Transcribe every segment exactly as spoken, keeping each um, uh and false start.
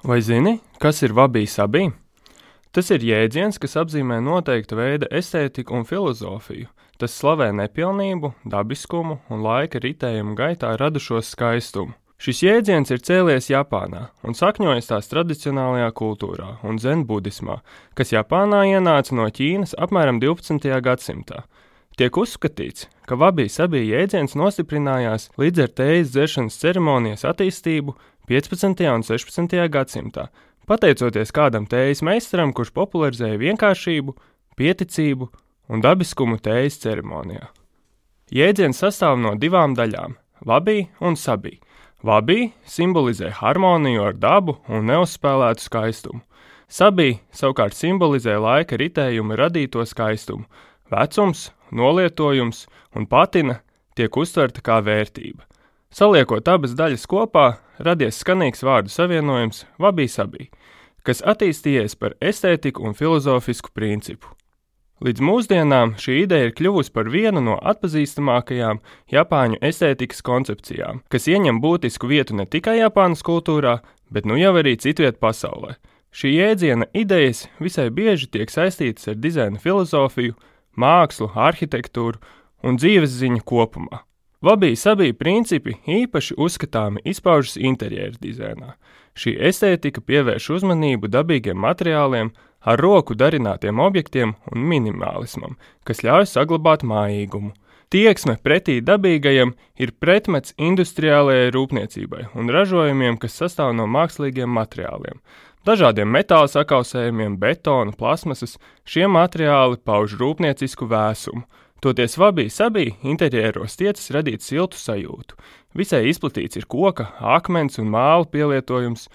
Vai zini, kas ir vabī-sabī? Tas ir jēdziens, kas apzīmē noteikta veida estētiku un filozofiju. Tas slavē nepilnību, dabiskumu un laika ritējumu gaitā radušos skaistumu. Šis jēdziens ir cēlies Japānā un sakņojas tās tradicionālajā kultūrā un zen budismā, kas Japānā ienāca no Ķīnas apmēram divpadsmitajā gadsimtā. Tiek uzskatīts, ka vabī-sabī jēdziens nostiprinājās līdz ar tējas dzeršanas ceremonijas attīstību piecpadsmitajā un sešpadsmitajā gadsimtā, pateicoties kādam tējas meistaram, kurš popularizēja vienkāršību, pieticību un dabiskumu tējas ceremonijā. Jēdziens sastāv no divām daļām – vabī un sabī. Vabī simbolizē harmoniju ar dabu un neuzspēlētu skaistumu. Sabī savukārt simbolizē laika ritējumu radīto skaistumu. Vecums, nolietojums un patina tiek uztverta kā vērtība. Saliekot abas daļas kopā, radies skanīgs vārdu savienojums vabī-sabī, kas attīstījies par estētiku un filozofisku principu. Līdz mūsdienām šī ideja ir kļuvusi par vienu no atpazīstamākajām Japāņu estētikas koncepcijām, kas ieņem būtisku vietu ne tikai Japānas kultūrā, bet nu jau arī citviet pasaulē. Šī jēdziena idejas visai bieži tiek saistītas ar dizaina filozofiju, mākslu, arhitektūru un dzīvesziņu kopumā. Vabī-sabī principi īpaši uzskatāmi izpaužas interjera dizainā. Šī estētika pievērš uzmanību dabīgiem materiāliem, ar roku darinātiem objektiem un minimālismam, kas ļauj saglabāt mājīgumu. Tieksme pretī dabīgajam ir pretmets industriālajai rūpniecībai un ražojumiem, kas sastāv no mākslīgiem materiāliem. Dažādiem metāla sakausējumiem, betona, plasmasas, šie materiāli pauž rūpniecisku vēsumu. Toties vabī-sabī interjeros tiecas radīt siltu sajūtu. Visai izplatīts ir koka, akmens un māla pielietojums.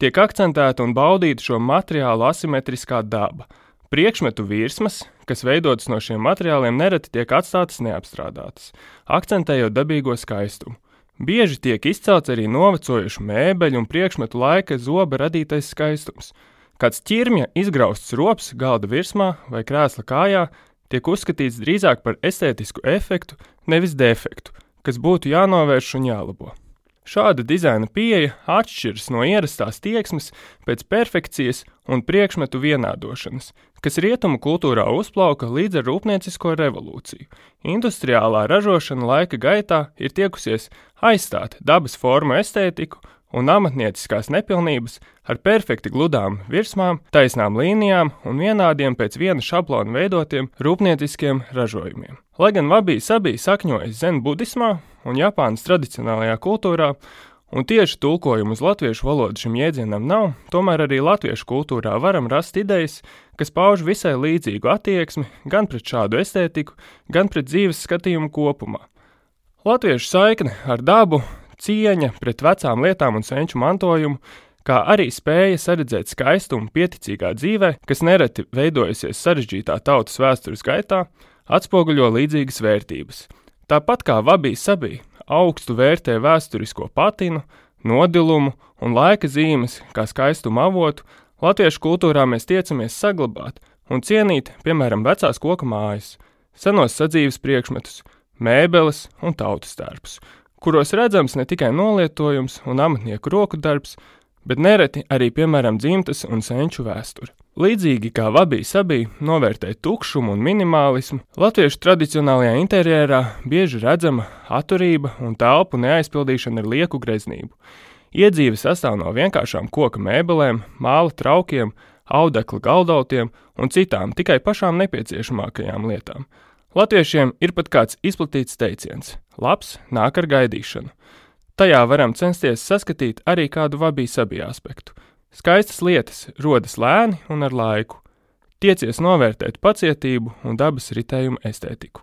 Tiek akcentēta un baudīta šo materiālu asimetriskā daba. Priekšmetu virsmas, kas veidotas no šiem materiāliem, nereti tiek atstātas neapstrādātas, akcentējot dabīgo skaistumu. Bieži tiek izcelts arī novecojušu mēbeļu un priekšmetu laika zoba radītais skaistums. Kāds ķirmja izgrausts rops galda virsmā vai krēsla kājā tiek uzskatīts drīzāk par estētisku efektu, nevis defektu, kas būtu jānovērš un jālabo. Šāda dizaina pieeja atšķiras no ierastās tieksmes pēc perfekcijas un priekšmetu vienādošanas, kas rietumu kultūrā uzplauka līdz ar rūpniecisko revolūciju. Industriālā ražošana laika gaitā ir tiekusies aizstāt dabas formu estētiku un amatnieciskās nepilnības ar perfekti gludām virsmām, taisnām līnijām un vienādiem pēc viena šablona veidotiem rūpnieciskiem ražojumiem. Lai gan vabī-sabī sakņojas zen budismā un Japānas tradicionālajā kultūrā, un tieši tulkojumu uz latviešu valodu šim jēdzienam nav, tomēr arī latviešu kultūrā varam rast idejas, kas pauž visai līdzīgu attieksmi gan pret šādu estētiku, gan pret dzīves skatījumu kopumā. Latviešu saikne ar dabu, cieņa pret vecām lietām un senču mantojumu, kā arī spēja saredzēt skaistumu pieticīgā dzīvē, kas nereti veidojusies sarežģītā tautas vēstures gaitā, atspoguļo līdzīgas vērtības. Tāpat kā vabī-sabī augstu vērtē vēsturisko patinu, nodilumu un laika zīmes kā skaistumu avotu, latviešu kultūrā mēs tiecamies saglabāt un cienīt, piemēram, vecās koka mājas, senos sadzīves priekšmetus, mēbeles un tautas tērpus, kuros redzams ne tikai nolietojums un amatnieku roku darbs, bet nereti arī, piemēram, dzimtas un senču vēsture. Līdzīgi kā vabī-sabī novērtē tukšumu un minimālismu, latviešu tradicionālajā interjerā bieži redzama atturība un telpu neaizpildīšana ar lieku greznību. Iedzīve sastāv no vienkāršām koka mēbelēm, māla traukiem, audekla galdautiem un citām tikai pašām nepieciešamākajām lietām. Latviešiem ir pat kāds izplatīts teiciens – labs nāk ar gaidīšanu. Tajā varam censties saskatīt arī kādu vabī-sabī aspektu. Skaistas lietas rodas lēni un ar laiku. Tiecies novērtēt pacietību un dabas ritējumu estētiku.